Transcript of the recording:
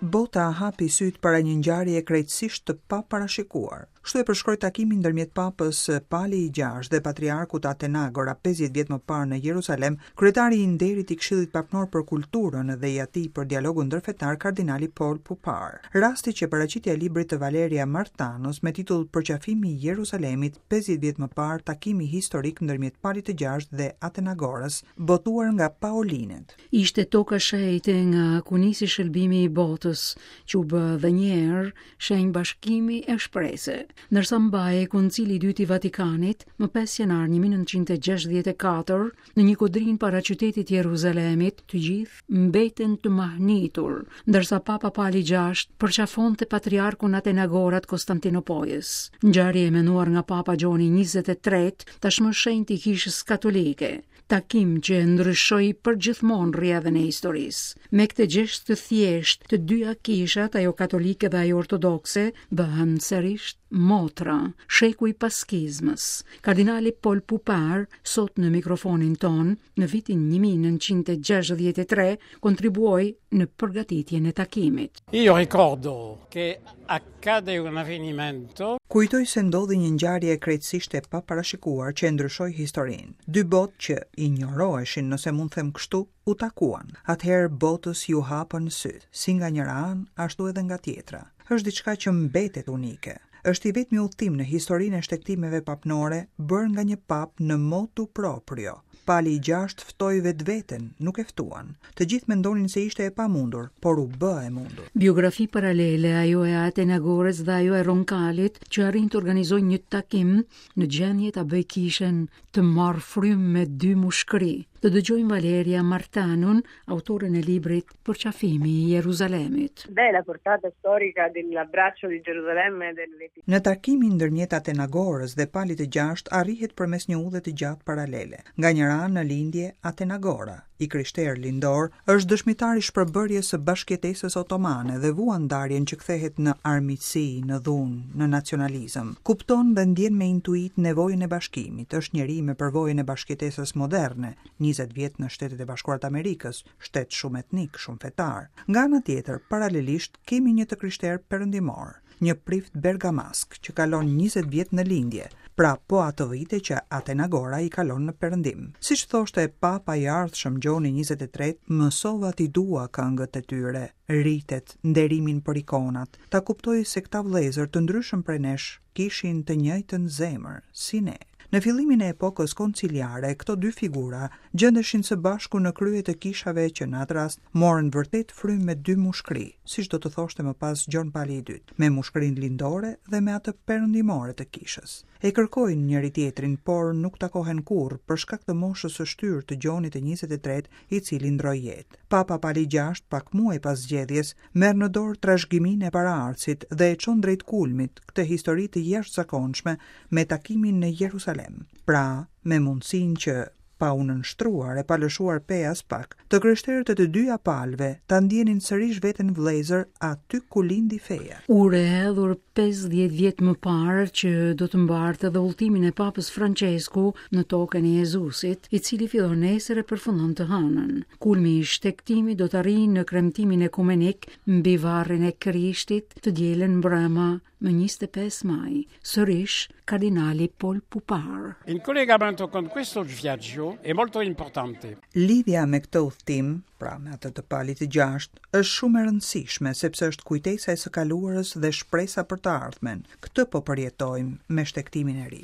Bota hapi sytë para një ngjarjeje krejtësisht të paparashikuar. Kështu e përshkroi takimin ndërmjet Papës Pali i Gjashtë dhe Patriarkut Atenagora 50 vjet më parë në Jeruzalem, kryetari i nderit i Këshillit Papnor për Kulturën dhe i atij për dialogun ndërfetar kardinali Paul Poupard. Rasti qe paraqitja e librit të Valeria Martanos me titull Përqafimi i Jeruzalemit 50 vjet më parë takimi historik ndërmjet Palit të Gjashtë dhe Atenagorës, botuar nga Paolinet. Ishte toka shenjte nga ku nisi shëlbimi i botës, që u bë dhe një herë shenjë bashkimi e shprese. Ndërsa mbahej Koncili i Dytë i Vatikanit, më 5 janar 1964, në një kodrinë para qytetit Jeruzalemit, të gjithë mbeten të mahnitur, ndërsa Papa Pali VI përqafonte patriarkun Atenagora të Konstantinopojës. Ngjarje e menduar nga Papa Gjoni 23, tashmë shenjt i Kishës Katolike, takim që e ndryshoi përgjithmonë rrjedhën e historisë. Me këtë gjest të thjeshtë, të dyja kishat, ajo katolike dhe ajo ortodokse, bëhen sërish motra, shekuj pas skizmës. Kardinali Paul Poupard, sot në mikrofonin tonë, në vitin 1963, kontribuoi në përgatitjen e takimit. Io ricordo che accade un avvenimento. Kujtoj se ndodhi një ngjarje krejtësisht e paparashikuar që e ndryshoi historinë. Dy botë që injoroheshin, nëse mund të them kështu, u takuan. Atëherë botës iu hapën sytë, si nga njëra anë, ashtu edhe nga tjetra. Është diçka që mbetet unike. Është i vetmi udhëtim në historinë e shtegtimeve papnore bërë nga një papë në motu proprio. Pali i gjashtë ftoi vetveten, nuk e ftuan. Të gjithë mendonin se ishte e pamundur, por u bë e mundur. Biografi paralele, ajo e Atenagorës dhe ajo e Ronkalit, që arrin të organizojnë një takim në gjendje ta bëjë kishën të marrë frymë me dy mushkëri. Të dëgjojmë Valeria Martanon, autoren e librit Përqafimi i Jeruzalemit. Beh, la portata storica dell'abbraccio di Gerusalemme delle Në takimin ndërmjet Atenagorës dhe Palit të Gjashtë arrihet përmes një udhe të gjatë paralele. Nga njëra anë në lindje, Atenagora, i krishterë lindor, është dëshmitar i shpërbërjes së bashkëjetesës otomane dhe vuan ndarjen që kthehet në armiqësi, në dhunë, në nacionalizëm. Kupton dhe ndjen me intuitë nevojën e bashkimit, është njeri me përvojën e bashkëjetesës moderne, 20 vjet në Shtetet e Bashkuara të Amerikës, shtet shumetnik, shumëfetar. Nga ana tjetër, paralelisht, kemi një të krishterë perëndimor, një prift bergamask që kalon 20 vjet në lindje, pra po ato vite që Atenagora i kalon në perëndim. Siç thoshte Papa i ardhshëm Gjoni 23, mësova t'i dua këngët e tyre, ritet, nderimin për ikonat, ta kuptoj se këta vëllezër të ndryshëm prej nesh kishin të njëjtën zemër, si ne. Në fillimin e epokës konciliare, këto dy figura gjendeshin së bashku në krye të kishave që në atë rast morën vërtet frymë me dy mushkëri, siç do të thoshte më pas Gjon Pali i II, me mushkërinë lindore dhe me atë perëndimore të kishës. E kërkojnë njëri-tjetrin, por nuk takohen kurrë për shkak të moshës së shtyrë të Gjonit të 23, i cili ndërroi jetë. Papa Pali VI, pak muaj pas zgjedhjes, merr në dorë trashëgiminë e paraardhësit dhe e çon drejt kulmit këtë histori të jashtëzakonshme me takimin në Jerusalem. Pra, me mundësinë që, pa u nënshtruar e pa lëshuar pe aspak, të krishterët e të dyja palëve ta ndjenin sërish veten vëllezër aty ku lindi feja. Urë e hedhur 50 vjet më parë që do të mbartë edhe udhëtimin e Papës Françesku në tokën e Jezusit, i cili fillon nesër e përfundon të hënën. Kulmi i shtegtimit do të arrijë në kremtimin ekumenik mbi varrin e Krishtit të dielën mbrëma më 25 maj. Sërish kardinali Paul Poupard. In collegamento con questo viaggio è molto importante. Lidhja me këtë udhëtim, pra me atë të Palit të Gjashtë, është shumë e rëndësishme sepse është kujtesa e së kaluarës dhe shpresa për të ardhmen. Këtë po përjetojmë me shtegtimin e ri.